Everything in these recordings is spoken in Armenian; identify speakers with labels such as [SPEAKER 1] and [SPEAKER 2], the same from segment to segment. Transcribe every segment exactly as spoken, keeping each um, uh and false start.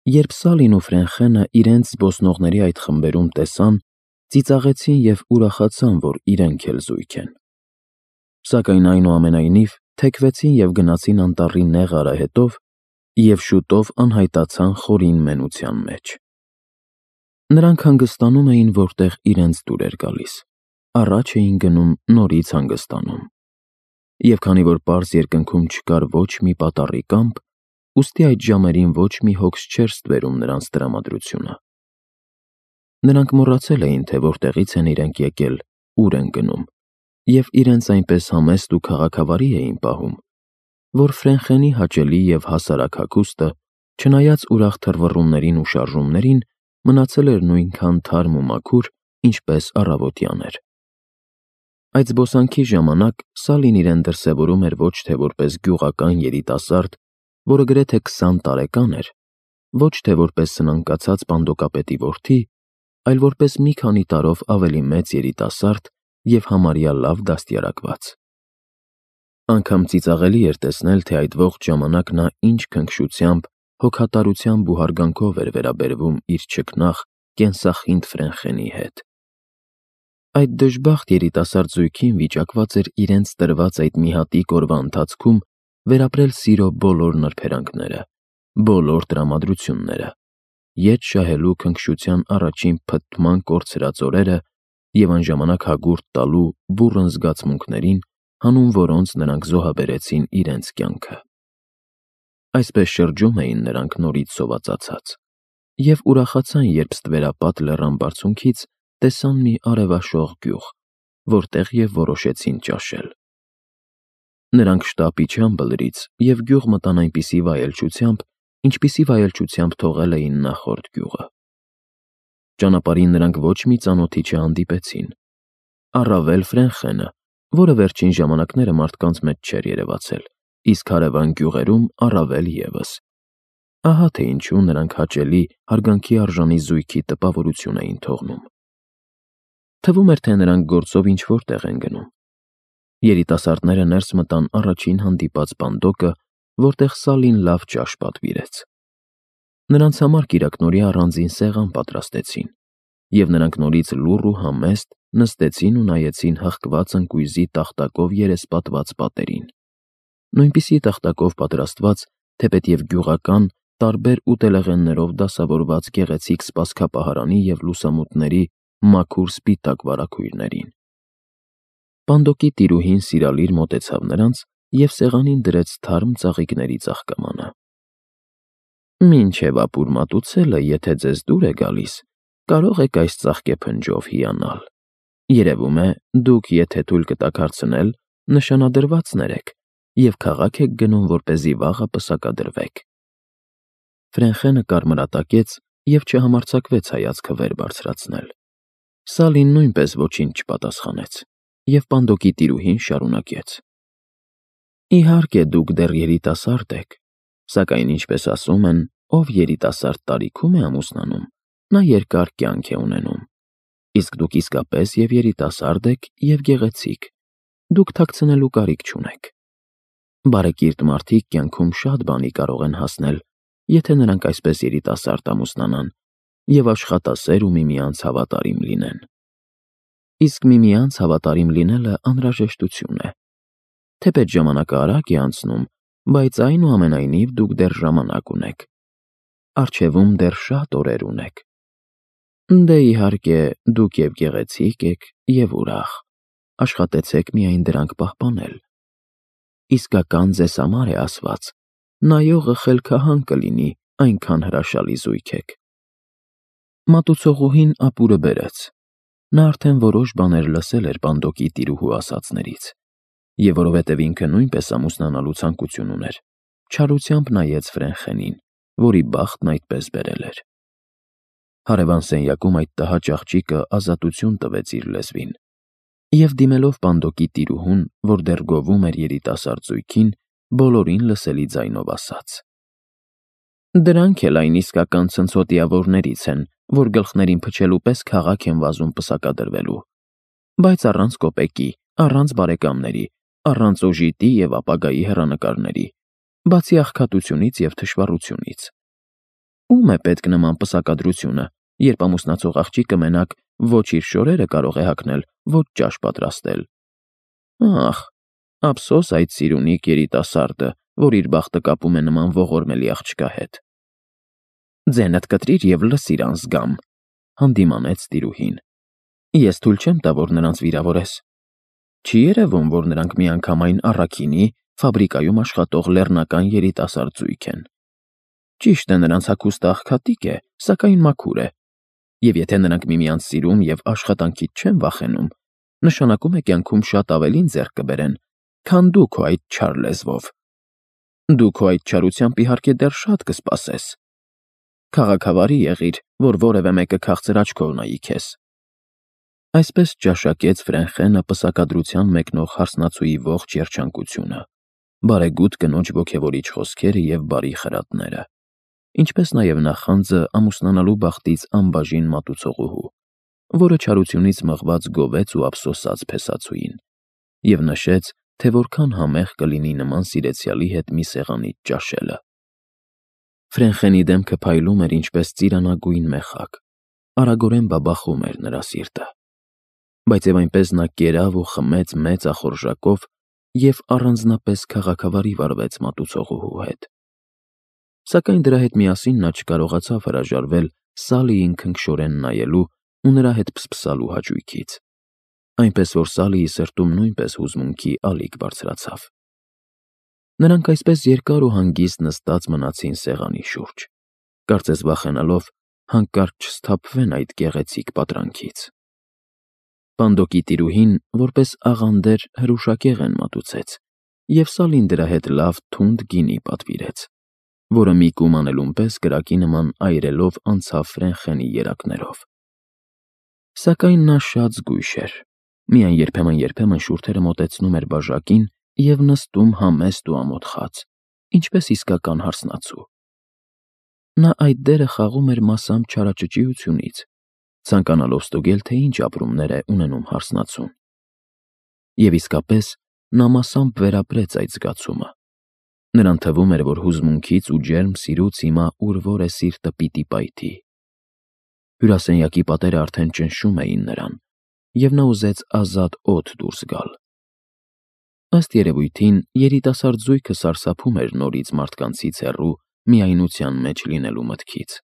[SPEAKER 1] Երբ Սալին ու Ֆրենխենը իրենց զբոսնողների այդ խմբերում տեսան, ծիծաղեցին և ուրախացան, որ իրենք էլ զույգ են։ Սակայն այնուամենայնիվ թեքվեցին և գնացին անտառի նեղ արահետով և շուտով անհայտացան խորին մենության մեջ։ Նրանք հանգստանում էին, որտեղ իրենց դուր էր գալիս, առաջ էին գնում, նորից հանգստանում։ Եվ քանի որ պարզ երկնքում չկար ոչ մի պատառի կամպ, ուստի այդ ժամերին ոչ մի հոգս չէր ստվերում նրանց տրամադրությունը։ Նրանք մոռացել էին, թե որտեղից են իրենք եկել, ուր են գնում, և իրենց այնպես համեստ ու քաղաքավարի էին պահում, որ Ֆրենխենի հաճելի և հասարակ հագուստը, չնայած ուրախ թռվռումներին ու շարժումներին, մնացել էր նույնքան թարմ ու մաքուր, ինչպես առավոտյան էր։ Այդ զբոսանքի ժամանակ Սալին իրեն դրսևորում էր ոչ թե որպես գյուղական երիտասարդ, որը գրեթե քսան տարեկան էր, ոչ թե որպես սնանկացած պանդոկապետի որդի, այլ որպես մի քանի տարով ավելի մեծ երիտասարդ և համարյա լավ դաստիարակված։ Անգամ ծիծաղելի էր տեսնել, թե այդ ողջ ժամանակ նա ինչ քնքշությամբ, հոգատարությամբ ու հարգանքով էր վերաբերվում իր չքնաղ, կենսախինդ Ֆրենխենի հետ։ Այդ դժբախտ երիտասարդ զույգին վիճակված էր իրենց տրված այդ մի հատիկ օրվա ընթացքում վերապրել սիրո բոլոր նրբերանգները, բոլոր տրամադրությունները, ետ շահելու քնքշության առաջին փթթման կորցրած օրերը և անժամանակ հագուրդ տալու բուռն զգացմունքներին, հանուն որոնց նրանք զոհաբերեցին իրենց կյանքը։ Այսպես շրջում էին նրանք նորից սովածացած և ուրախացան, երբ ստվերապատ լեռան բարձունքից տեսան մի արևաշող գյուղ, որտեղ և որոշեցին ճաշել։ Նրանք շտապ իջան բլրից և գյուղ մտան այնպիսի վայելչությամբ, ինչպիսի վայելչությամբ թողել էին նախորդ գյուղը։ Ճանապարհին նրանք ոչ մի ծանոթի չհանդիպեցին, առավել Ֆրենխենը, որը վերջին ժամանակները մարդկանց մեջ չէր երևացել, իսկ հարևան գյուղերում առավել ևս։ Ահա թե ինչու նրանք հաճելի, հարգանքի արժանի զույգի տպավորություն էին թողնում։ Թվում էր, թե նրանք գործով ինչ-որ տեղ են գնում։ Երիտասարդները ներս մտան առաջին հանդիպած պանդոկը, որտեղ Սալին լավ ճաշ պատվիրեց։ Նրանց համար կիրակնօրյա առանձին սեղան պատրաստեցին, և նրանք նորից լուռ ու համեստ նստեցին ու նայեցին հղկված ընկույզի տախտակով երեսպատված պատերին, նույնպիսի տախտակով պատրաստված, թեպետև գյուղական, տարբեր ուտելեղեններով դասավորված գեղեցիկ սպասքապահարանի և լուսամուտների մաքուր սպիտակ վարագույրներին։ Պանդոկի տիրուհին սիրալիր մոտեցավ նրանց և սեղանին դրեց թարմ ծաղիկների ծաղկամանը։ «Մինչև ապուր մատուցելը, եթե ձեզ դուր է գալիս, կարող եք այս ծաղկեփնջով հիանալ։ Երևում է, դուք եթե թույլ կտաք հարցնել, նշանադրվածներ եք և քաղաք եք գնում, որպեսզի վաղը պսակադրվեք»։ Ֆրենխենը կարմրատակեց և չհամարձակվեց հայացքը վեր բարձրացնել։ Սալին նույնպես ոչինչ չպատասխանեց, և պանդոկի տիրուհին շարունակեց. «Իհարկե, դուք դեռ երիտասարդ եք, սակայն, ինչպես ասում են, ով երիտասարդ տարիքում է ամուսնանում, նա երկար կյանք է ունենում։ Իսկ դուք իսկապես և երիտասարդ եք, և գեղեցիկ, դուք թաքցնելու կարիք չունեք։ Բարեկիրթ մարդիկ կյանքում շատ բանի կարող են հասնել, եթե նրանք այսպես երիտասարդ ամուսնանան և աշխատասեր ու միմյանց հավատարիմ լինեն։ Իսկ միմյանց հավատարիմ լինելը անհրաժեշտություն է։ Թեպետ ժամանակը արագ է անցնում, բայց այնուամենայնիվ դուք դեռ ժամանակ ունեք։ Առջևում դեռ շատ օրեր ունեք։ Դե, իհարկե, դուք և գեղեցիկ եք, և ուրախ, աշխատեցեք միայն դրանք պահպանել։ Իսկական ձեզ համար է ասված, նայողը խելքահան կլինի, այնքան հրաշալի զույգ եք»։ Մատուցողուհին ապուրը բերեց։ Նա արդեն որոշ բաներ լսել էր պանդոկի տիրուհու ասածներից, և որովհետև ինքը նույնպես ամուսնանալու ցանկություն ուներ, չարությամբ նայեց Ֆրենխենին, որի բախտն այդպես բերել էր։ Հարևան սենյակում այդ տհաճ աղջիկը ազատություն տվեց իր լեզվին և, դիմելով պանդոկի տիրուհուն, որ դեռ գովում էր երիտասարդ զույգին, բոլորին լսելի ձայնով ասաց. «Դրանք էլ այն իսկական ցնցոտիավորներից են, որ գլխներին փչելու պես քաղաք են վազում պսակադրվելու, բայց առանց կոպեկի, առանց բարեկամների, առանց օժիտի և ապագայի հեռանկարների, բացի աղքատությունից և թշվառությունից։ Ում է պետք նման պսակադրությունը, երբ ամուսնացող աղջիկը մենակ ոչ իր շորերը կարող է հագնել, ոչ ճաշ պատրաստել։ Ախ, ափսոս այդ սիրունիկ երիտասարդը, որ իր բախտը կապում է նման ողորմելի աղջկա հետ։ Ձենդ կտրիր և լսիր անզգամ, հանդիմանեց տիրուհին։ Ես թույլ չեմ տա, որ նրանց վիրավորես։ Չի երևում, որ նրանք միանգամայն առաքինի, ֆաբրիկայում աշխատող լեռնական երիտասարդ զույգ են։ Ճիշտ է, նրանց հագուստը աղքատիկ է, սակայն մաքուր է, և եթե նրանք միմյանց սիրում և աշխատանքից չեն վախենում, նշանակում է կյանքում շատ ավելին ձեռք կբերեն, քան դու քո այդ չար լեզվով։ Դու քո այդ չարությամբ իհարկե դեռ շատ կսպասես։ Քաղաքավարի եղիր, որ որևէ մեկը քաղցր աչքով նայի քեզ։ Այսպես ճաշակեց Ֆրենխենը պսակադրության մեկնող հարսնացուի ողջ երջանկությունը, բարեգութ կնոջ ոգևորիչ խոսքերը և բարի խրատները, ինչպես նաև նախանձը ամուսնանալու բախտից անբաժին մատուցողուհու, որը չարությունից մղված գովեց ու ափսոսաց փեսացուին, և նշեց, թե որքան համեղ կլինի նման սիրեցյալի հետ մի սեղանից ճաշելը։ Ֆրենխենի դեմքը փայլում էր ինչպես ծիրանագույն մեխակ, արագորեն բաբախում էր նրա սիրտը։ Բայց և այնպես նա կերավ ու խմեց մեծ ախորժակով և առանձնապես քաղաքավարի վարվեց մատուցողուհու հետ։ Սակայն դրա հետ միասին նա չկարողացավ հրաժարվել Սալիին քնքշորեն նայելու ու նրա հետ փսփսալու հաճույքից, այնպես որ Սալիի սրտում նույնպես հուզմունքի ալիք բարձրացավ։ Նրանք այսպես երկար ու հանգիստ նստած մնացին սեղանի շուրջ, կարծես վախենալով հանկարծ չսթափվեն այդ գեղեցիկ պատրանքից։ Պանդոկի տիրուհին, որպես աղանդեր, հրուշակեղեն մատուցեց, և Սալին դրա հետ լավ թունդ գինի պատվիրեց, որը մի կում անելուն պես կրակի նման այրելով անցավ Ֆրենխենի երակներով։ Սակայն նա շատ զգույշ էր, միայն երբեմն-երբեմն շուրթերը մոտեցնում էր բաժակին և նստում համեստ ու ամոթխած, ինչպես իսկական հարսնացու։ Նա այդ դերը խաղում էր մասամբ չարաճճիությունից, ցանկանալով ստուգել, թե ինչ ապրումներ է ունենում հարսնացուն։ Եվ իսկապես նա մասամբ վերապրեց այդ զգացումը։ Նրան թվում էր, որ հուզմունքից ու ջերմ սիրուց հիմա ուր-որ է սիրտը պիտի պայթի։ Հյուրասենյակի պատերը արդեն ճնշում էին նրան, և նա ուզեց ազատ օդ դուրս գալ։ Ըստ երևույթին, երիտասարդ զույգը սարսափում էր նորից մարդկանցից հեռու միայնության մեջ լինելու մտքից,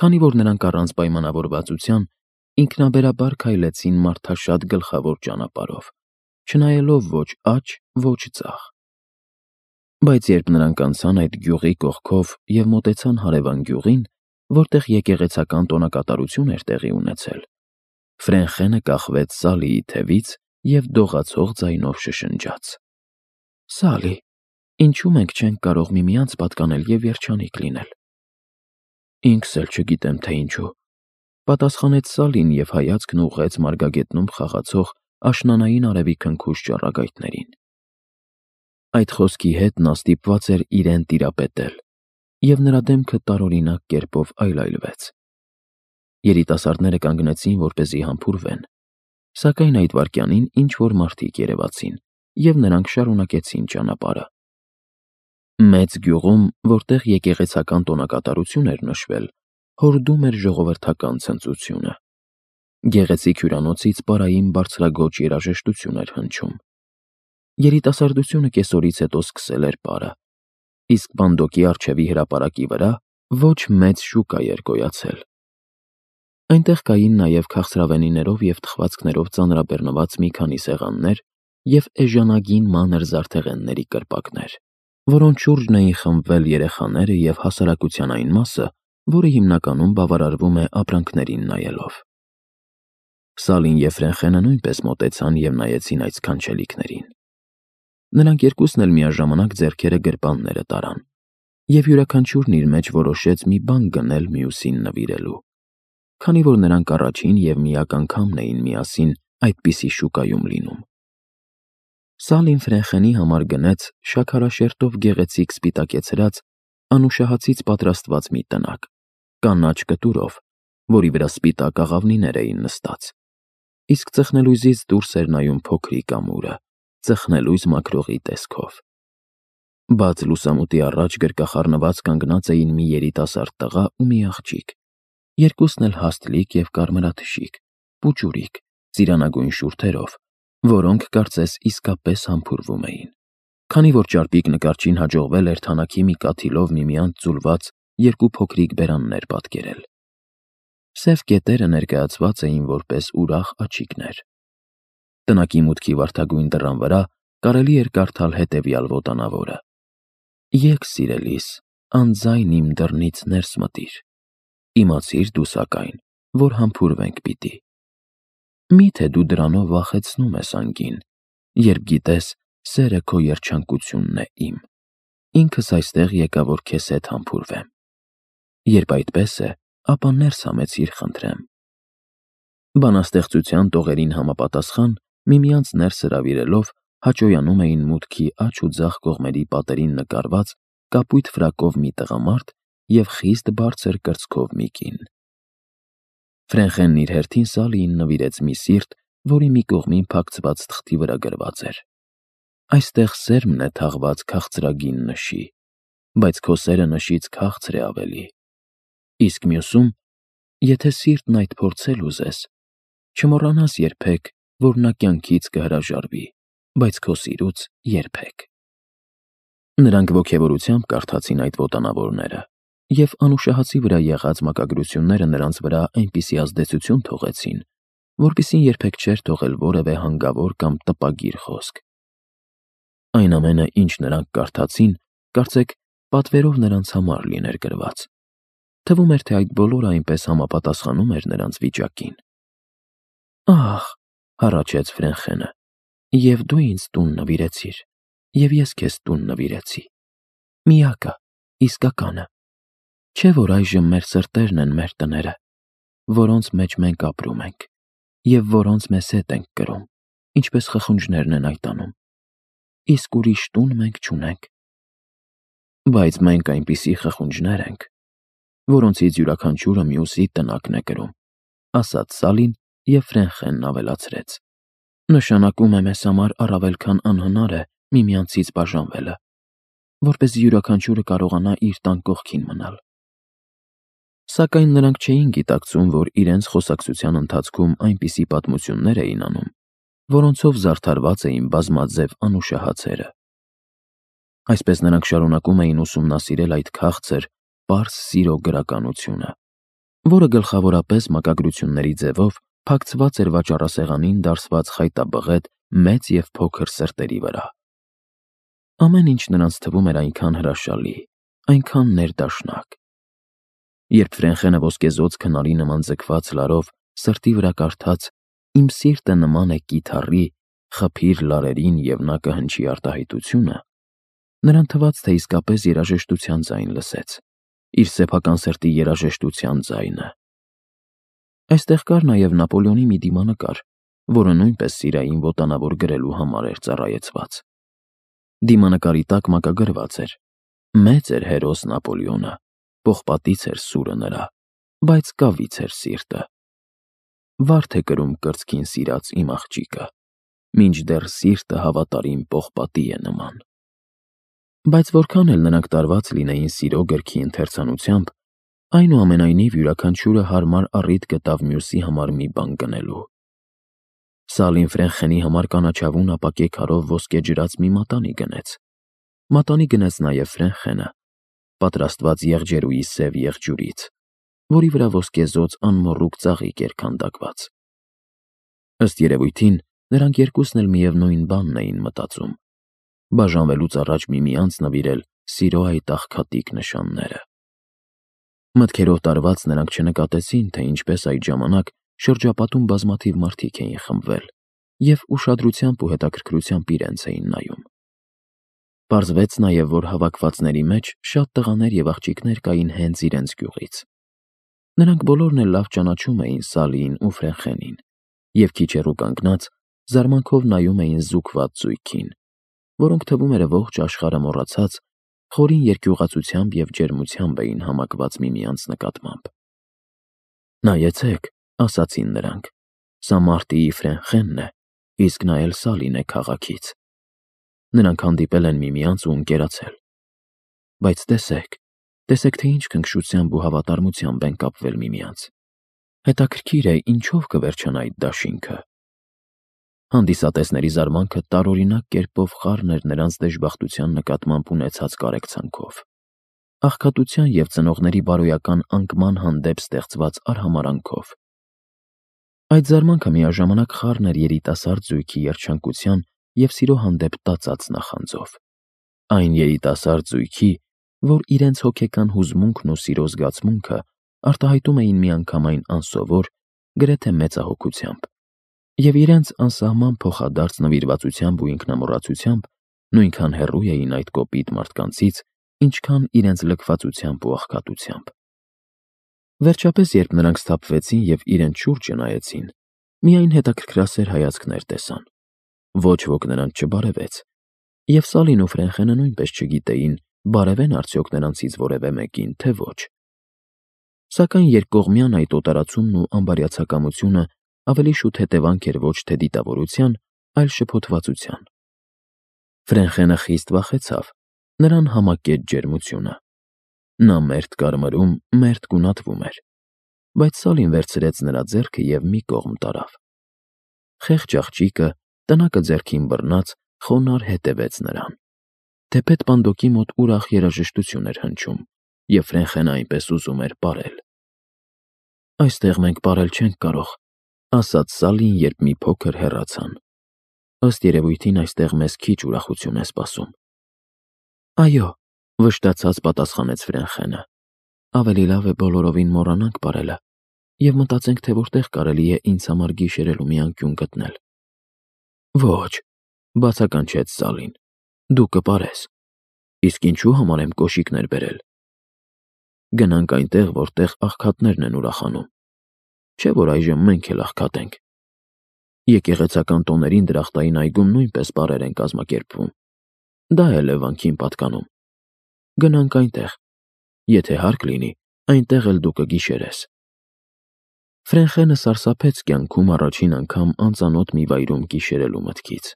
[SPEAKER 1] քանի որ նրանք առանց պայմանավորվածության ինքնաբերաբար քայլեցին մարդաշատ գլխավոր ճանապարհով, չնայելով ոչ աջ, ոչ ձախ։ Բայց երբ նրանք անցան այդ գյուղի կողքով և մոտեցան հարևան գյուղին, որտեղ եկեղեցական տոնակատարություն էր տեղի ունեցել, Ֆրենխենը կախվեց Սալիի թևից և դողացող ձայնով շշնջաց. «Սալի, ինչու մենք չենք կարող միմյանց պատկանել և երջանիկ լինել»։ Ինքս էլ չգիտեմ, թե ինչու, պատասխանեց Սալին և հայացքն ուղղեց մարգագետնում խաղացող աշնանային արևի քնքուշ ճառագայթներին։ Այդ խոսքի հետ նա ստիպված էր իրեն տիրապետել, և նրա դեմքը տարօրինակ կերպով այլայլվեց։ Երիտասարդները կանգնեցին, որպեսզի համբուրվեն, սակայն այդ վայրկյանին ինչ-որ մարդիկ երևացին, և նրանք շարունակեցին ճանապարհը։ Մեծ գյուղում, որտեղ եկեղեցական տոնակատարություն էր նշվել, հորդում էր ժողովրդական ցնծությունը։ Գեղեցիկ հյուրանոցից պարային բարձրագոչ երաժշտություն էր հնչում։ Երիտասարդությունը կեսօրից հետո սկսել էր պարը, իսկ Պանդոկի առջևի հրապարակի վրա ոչ մեծ շուկա էր գոյացել։ Այնտեղ կային նաև քաղցրավենիներով և թխվածքներով ծանրաբեռնված մի քանի սեղաններ և էժանագին մանր զարդեղենների կրպակներ, որոնց շուրջն էին խմբվել երեխաները և հասարակության այն մասը, որը հիմնականում բավարարվում է ապրանքներին նայելով։ Սալին և Ֆրենխենը նույնպես մոտեցան և նայեցին այդ սքանչելիքներին։ Նրանք երկուսն էլ միաժամանակ ձեռքերը գրպանները տարան, և յուրաքանչյուրն իր մեջ որոշեց մի բան գնել մյուսին նվիրելու, քանի որ նրանք առաջին և միակ անգամն էին միասին այդպիսի շուկայում լինում։ Սալին Ֆրենխենի համար գնեց շաքարաշերտով գեղեցիկ սպիտակեցրած, անուշահացից պատրաստված մի տնակ, կանաչ կտուրով, որի վրա սպիտակ աղավնիներ էին նստած, իսկ ծխնելույզից դուրս էր նայում փոքրիկ ամուրը, ծխնելույզ մաքրողի տեսքով։ Բաց լուսամուտի առաջ գրկախառնված կանգնած էին մի երիտասարդ տղա ու մի աղջիկ, երկուսն էլ հաստլիկ և կարմրաթշիկ, պուճուրիկ, ծիրանագույն շուրթերով, որոնք կարծես իսկապես համբուրվում էին, քանի որ ճարպիկ նկարչին հաջողվել էր թանաքի մի կաթիլով միմյանց ձուլված երկու փոքրիկ բերաններ պատկերել։ Սև կետերը ներկայացված էին որպես ուրախ աջիկներ։ Տնակի մուտքի վարդագույն դռան վրա կարելի էր կարդալ հետևյալ ոտանավորը. «Եկ սիրելիս, անձայն իմ դռնից ներս մտիր, իմացիր դու սակայն, որ համբուրվենք պիտի։ Մի՞թե դու դրանով վախեցնում ես անգին, երբ գիտես, սերը քո երջանկությունն է իմ, ինքս այստեղ եկա, որ քեզ հետ համբուրվեմ։ Երբ այդպես է, ապա ներս համեցիր խնդրեմ»։ Բանաստեղծության տողերին համապատասխան, միմյանց ներս հրավիրելով, հաճոյանում էին մուտքի աջ ու ձախ կողմերի պատերին նկարված կապույտ ֆրակով մի տղամարդ և խիստ բարձր կրծքով մի կին։ Ֆրենխենն իր հերթին Սալիին նվիրեց մի սիրտ, որի մի կողմին փակցված թղթի վրա գրված էր. «Այստեղ սերմն է թաղված քաղցրագին նշի, բայց քո սերը նշից քաղցր է ավելի։ Իսկ մյուսում, եթե սիրտն այդ փորձել ուզես, չմոռանաս երբեք, որ նա կյանքից կհրաժարվի, բայց քո սիրուց երբեք»։ Նրանք ոգևորությամբ կարդացին այդ ոտանավորները, և անուշահացի վրա եղած մակագրությունները նրանց վրա այնպիսի ազդեցություն թողեցին, որպիսին երբեք չէր թողել որևէ հանգավոր կամ տպագիր խոսք։ Այն ամենը, ինչ նրանք կարդացին, կարծեք պատվերով նրանց համար լիներ գրված։ Թվում էր, թե այդ բոլորը այնպես համապատասխանում էր նրանց վիճակին։ «Ահ», հառաչեց Ֆրենխենը, «և դու ինձ տուն նվիրեցիր, և ես քեզ տուն նվիրեցի, միակը, իսկականը։ Չէ՞ որ այժմ մեր սրտերն են մեր տները, որոնց մեջ մենք ապրում ենք, և որոնց մեզ հետ ենք կրում, ինչպես խխունջներն են այդ անում, իսկ ուրիշ տուն մենք չունենք։ Բայց մենք այնպիսի խխունջներ ենք, որոնցից յուրաքանչյուրը մյուսի տնակն է կրում», ասաց Սալին, և Ֆրենխենն ավելացրեց. «Նշանակում է մեզ համար առավել քան անհնար է միմյանցից բաժանվելը, որպեսզի յուրաքանչյուրը կարողանա իր տան կողքին մնալ»։ Սակայն նրանք չէին գիտակցում, որ իրենց խոսակցության ընթացքում այնպիսի պատմություններ էին անում, որոնցով զարդարված էին բազմաձև անուշահացերը։ Այսպես նրանք շարունակում էին ուսումնասիրել այդ քաղցր, պարզ սիրո գրականությունը, որը գլխավորապես մակագրությունների ձևով փակցված էր վաճառասեղանին դարսված խայտաբղետ մեծ և փոքր սրտերի վրա։ Ամեն ինչ նրանց թվում էր այնքան հրաշալի, այնքան ներդաշնակ։ Երբ Ֆրենխենը ոսկեզօծ քնարի նման ձգված լարով սրտի վրա կարդաց «Իմ սիրտը նման է կիթառի, խփիր լարերին, և նա կհնչի» արտահայտությունը, նրան թվաց, թե իսկապես երաժշտության ձայն լսեց, իր սեփական սրտի երաժշտության ձայնը։ Այստեղ կար նաև Նապոլեոնի մի դիմանկար, որը նույնպես սիրային ոտանավոր գրելու համար էր ծառայեցված։ Դիմանկարի տակ մակագրված էր. «Մեծ էր հերոս Նապոլեոնը, պողպատից էր սուրը նրա, բայց կավից էր սիրտը։ Վարդ է կրում կրծքին սիրած իմ աղջիկը, մինչդեռ սիրտը հավատարիմ պողպատի է նման»։ Բայց որքան էլ նրանք տարված լինեին սիրո գրքի ընթերցանությամբ, այնուամենայնիվ յուրաքանչյուրը հարմար առիթ գտավ մյուսի համար մի բան գնելու։ Սալին Ֆրենխենի համար կանաչավուն ապակե քարով ոսկե ջրած մի մատանի գնեց։ Մատանի գնեց նաև Ֆրենխենը, պատրաստված եղջերուի սև եղջյուրից, որի վրա ոսկեզօծ անմոռուկ ծաղիկ էր քանդակված։ Ըստ երևույթին, նրանք երկուսն էլ միևնույն բանն էին մտածում՝ բաժանվելուց առաջ միմյանց նվիրել սիրո այդ աղքատիկ նշանները։ Մտքերով տարված նրանք չնկատեցին, թե ինչպես այդ ժամանակ շրջապատում բազմաթիվ մարդիկ էին խմբվել և ուշադրությամբ ու հետաքրքրությամբ իրենց էին նայում։ Պարզվեց նաև, որ հավաքվածների մեջ շատ տղաներ և աղջիկներ կային հենց իրենց գյուղից։ Նրանք բոլորն էլ լավ ճանաչում էին Սալիին ու Ֆրենխենին և քիչ հեռու կանգնած զարմանքով նայում էին զուգված զույգին, որոնք թվում էր ողջ աշխարհը մոռացած, խորին երկյուղացությամբ և ջերմությամբ էին համակված միմյանց նկատմամբ։ «Նայեցեք», ասացին նրանք, «սա մարտիի Ֆրենխենն է, իսկ նա էլ Սալին է քաղաքից»։ Նրանք հանդիպել են միմյանց ու ընկերացել, Բայց տեսեք, տեսեք, թե ինչ քնքշությամբ ու հավատարմությամբ են կապվել միմյանց։ Հետաքրքիր է, ինչով կվերջանա այդ դաշինքը։ Հանդիսատեսների զարմանքը տարօրինակ կերպով խառն էր նրանց դժբախտության նկատմամբ ունեցած կարեկցանքով, աղքատության և ծնողների բարոյական անկման հանդեպ ստեղծված արհամարհանքով։ Այդ զարմանքը միաժամանակ խառն էր երիտասարդ զույգի երջանկության և սիրո հանդեպ տածած նախանձով։ Այն երիտասարդ զույգի, որ իրենց հոգեկան հուզմունքն ու սիրո զգացմունքը արտահայտում էին միանգամայն անսովոր, գրեթե մեծահոգությամբ, և իրենց անսահման փոխադարձ նվիրվածությամբ ու ինքնամոռացությամբ նույնքան հեռու էին այդ կոպիտ մարդկանցից, ինչքան իրենց լքվածությամբ ու աղքատությամբ։ Վերջապես, երբ նրանք սթափվեցին և իրենց շուրջը նայեցին, միայն հետաքրքրասեր հայացքներ տեսան։ Ոչ ոք նրանց չբարևեց, և Սալին ու Ֆրենխենը նույնպես չգիտեին, բարևեն արդյոք նրանցից որևէ մեկին, թե ոչ։ Սակայն երկկողմյան այդ օտարացումն ու անբարյացակամությունը ավելի շուտ հետևանք էր ոչ թե դիտավորության, այլ շփոթվածության։ Ֆրենխենը խիստ վախեցավ, նրան համակեց ջերմությունը։ Նա մերթ կարմրում, մերթ գունատվում էր, բայց Սալին վերցրեց նրա ձեռքը և մի կողմ տարավ։ Խեղճ աղջիկը, տնակը ձեռքին բռնած, խոնարհ հետևեց նրան։ Թեպետ պանդոկի մոտ ուրախ երաժշտություն էր հնչում, և Ֆրենխենը այնպես ուզում էր պարել։ «Այստեղ մենք պարել չենք կարող», ասաց Սալին, երբ մի փոքր հեռացան։ «Ըստ երևույթին այստեղ մեզ քիչ ուրախություն է սպասում»։ «Այո», վշտացած պատասխանեց Ֆրենխենը, «ավելի լավ է բոլորովին մոռանանք պարելը և մտածենք, թե որտեղ կարելի է ինձ համար գիշերելու մի անկյուն գտնել»։ «Ոչ», բացականչեց Սալին, «դու կպարես։ Իսկ ինչու համար եմ կոշիկներ բերել։ Գնանք այնտեղ, որտեղ աղքատներն են ուրախանում, չէ՞ որ այժմ մենք էլ աղքատ ենք։ Եկեղեցական տոներին դրախտային այգում նույնպես պարեր են կազմակերպվում։ Դա էլ է վանքին պատկանում։ Գնանք այնտեղ։ Եթե հարկ լինի, այնտեղ էլ դու կգիշերես»։ Ֆրենխենը սարսափեց կյանքում առաջին անգամ անծանոթ մի վայրում գիշերելու մտքից,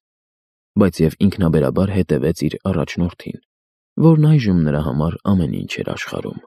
[SPEAKER 1] բայց և ինքնաբերաբար հետևեց իր առաջնորդին, որն այժմ նրա համար ամեն ինչ էր աշխարհում։